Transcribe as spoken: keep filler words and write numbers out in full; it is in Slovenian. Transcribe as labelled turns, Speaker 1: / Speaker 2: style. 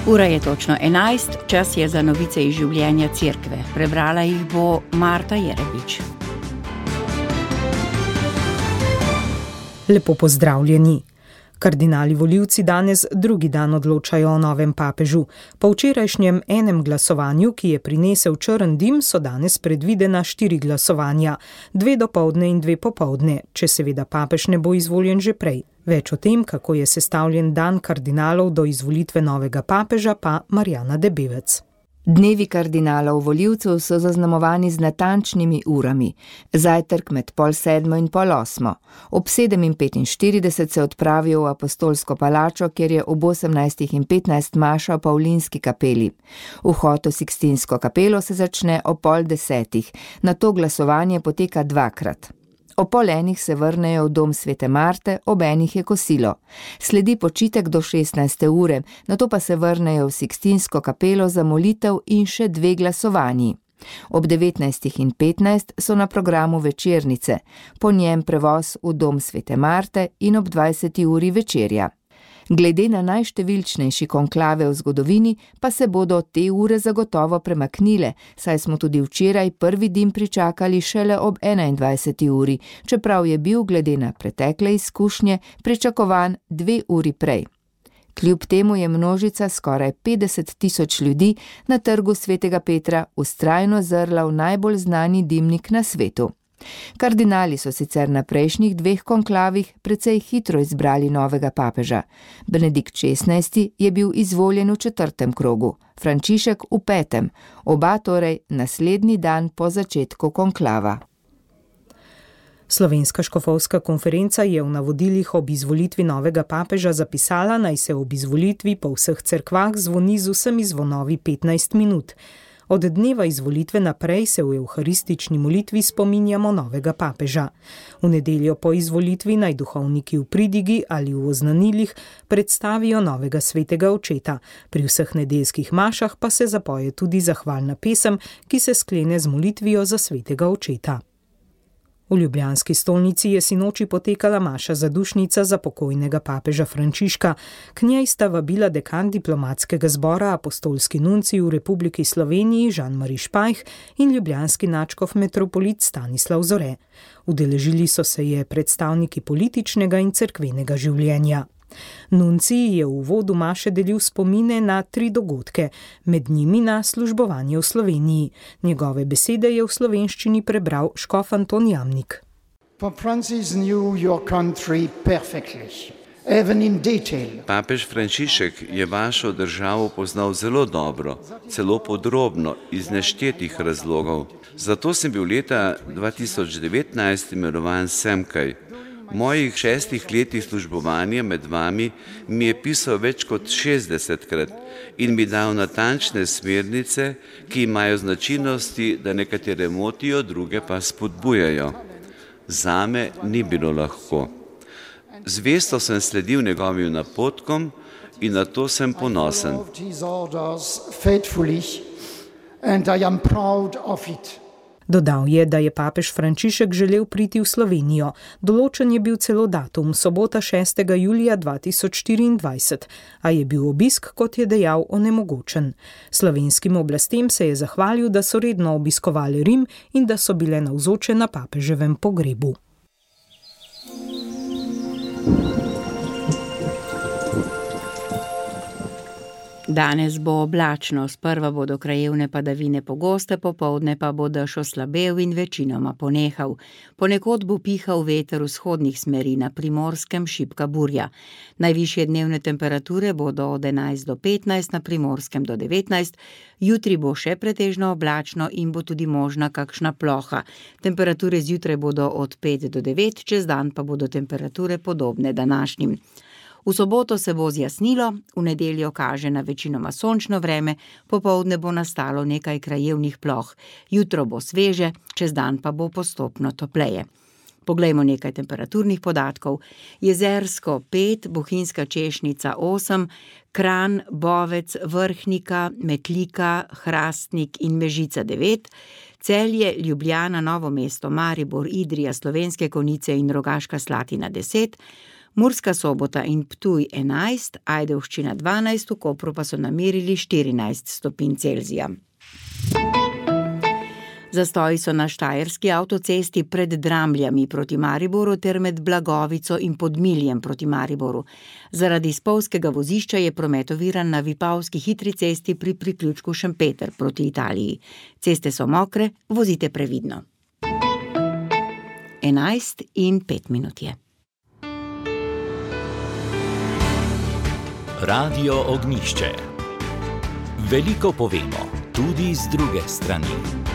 Speaker 1: Ura je točno enajst, čas je za novice iz življenja cerkve. Prebrala jih bo Marta Jerebič.
Speaker 2: Lepo pozdravljeni. Kardinali volivci danes drugi dan odločajo o novem papežu. Po včerajšnjem enem glasovanju, ki je prinesel črn dim, so danes predvidena štiri glasovanja, dve dopoldne in dve popoldne, če seveda papež ne bo izvoljen že prej. Več o tem, kako je sestavljen dan kardinalov do izvolitve novega papeža, pa Marjana Debevec.
Speaker 3: Dnevi kardinalov volivcev so zaznamovani z natančnimi urami. Zajtrk med pol sedmo in pol osmo. Ob sedem in petinštirideset se odpravijo v apostolsko palačo, kjer je ob osemnajstih in petnajst maša v Pavlinski kapeli. Vhod v Sikstinsko kapelo se začne ob pol desetih, nato glasovanje poteka dvakrat. O pol enih se vrnejo v dom svete Marte, ob enih je kosilo. Sledi počitek do šestnajste ure, nato pa se vrnejo v Sikstinsko kapelo za molitev in še dve glasovanji. Ob devetnajstih in petnajst so na programu večernice, po njem prevoz v dom svete Marte in ob dvajseti uri večerja. Glede na najštevilčnejši konklave v zgodovini pa se bodo te ure zagotovo premaknile, saj smo tudi včeraj prvi dim pričakali šele ob enaindvajseti uri, čeprav je bil glede na pretekle izkušnje pričakovan dve uri prej. Kljub temu je množica skoraj petdeset tisoč ljudi na trgu svetega Petra vztrajno zrla v najbolj znani dimnik na svetu. Kardinali so sicer na prejšnjih dveh konklavih precej hitro izbrali novega papeža. Benedikt šestnajsti je bil izvoljen v četrtem krogu, Frančišek v petem, oba torej naslednji dan po začetku konklava.
Speaker 2: Slovenska škofovska konferenca je v navodilih ob izvolitvi novega papeža zapisala, naj se ob izvolitvi po vseh cerkvah zvoni z vsemi zvonovi petnajst minut. Od dneva izvolitve naprej se v evharistični molitvi spominjamo novega papeža. V nedeljo po izvolitvi naj duhovniki v pridigi ali v oznanilih predstavijo novega svetega očeta. Pri vseh nedeljskih mašah pa se zapoje tudi zahvalna pesem, ki se sklene z molitvijo za svetega očeta. V ljubljanski stolnici je sinoči potekala maša zadušnica za pokojnega papeža Frančiška. K njej sta vabila dekan diplomatskega zbora apostolski nuncij v Republiki Sloveniji Jean-Marie Špajh in ljubljanski nadškof metropolit Stanislav Zore. Udeležili so se je predstavniki političnega in cerkvenega življenja. Nuncij je v uvodu maše delil spomine na tri dogodke, med njimi na službovanje v Sloveniji. Njegove besede je v slovenščini prebral škof Anton Jamnik.
Speaker 4: Papež Frančišek je vašo državo poznal zelo dobro, celo podrobno, iz neštetih razlogov. Zato sem bil leta dva tisoč devetnajst imenovan semkaj. V mojih šestih letih službovanja med vami mi je pisal več kot šestdesetkrat in mi dal natančne smernice, ki imajo značilnosti, da nekatere motijo, druge pa spodbujajo. Zame ni bilo lahko. Zvesto sem sledil njegovim napotkom in na to sem ponosen.
Speaker 2: Dodal je, da je papež Frančišek želel priti v Slovenijo. Določen je bil celo datum, sobota šestega julija dva tisoč štiriindvajset, a je bil obisk, kot je dejal, onemogočen. Slovenskim oblastem se je zahvalil, da so redno obiskovali Rim in da so bile navzoče na papeževem pogrebu.
Speaker 1: Danes bo oblačno, sprva bodo krajevne padavine pogoste, popoldne pa bo dež oslabel in večinoma ponehal. Ponekod bo pihal veter vzhodnih smeri, na Primorskem šibka burja. Najvišje dnevne temperature bodo od enajst do petnajst, na Primorskem do devetnajst. Jutri bo še pretežno oblačno in bo tudi možna kakšna ploha. Temperature zjutraj bodo od pet do devet, čez dan pa bodo temperature podobne današnjim. V soboto se bo zjasnilo, v nedeljo kaže na večinoma sončno vreme, popoldne bo nastalo nekaj krajevnih ploh. Jutro bo sveže, čez dan pa bo postopno topleje. Poglejmo nekaj temperaturnih podatkov. Jezersko pet, Bohinjska Češnica osem, Kranj, Bovec, Vrhnika, Metlika, Hrastnik in Mežica devet, Celje, Ljubljana, Novo mesto, Maribor, Idrija, Slovenske Konjice in Rogaška Slatina deset, Murska Sobota in Ptuj enajst, Ajdovščina dvanajst, v Kopru pa so namerili štirinajst stopinj Celzija. Zastoji so na štajerski avtocesti pred Dramljami proti Mariboru ter med Blagovico in Podmiljem proti Mariboru. Zaradi spolzkega vozišča je promet oviran na Vipavski hitri cesti pri priključku Šempeter proti Italiji. Ceste so mokre, vozite previdno. enajst in pet minut je.
Speaker 5: Radio Ognjišče. Veliko povemo, tudi z druge strani.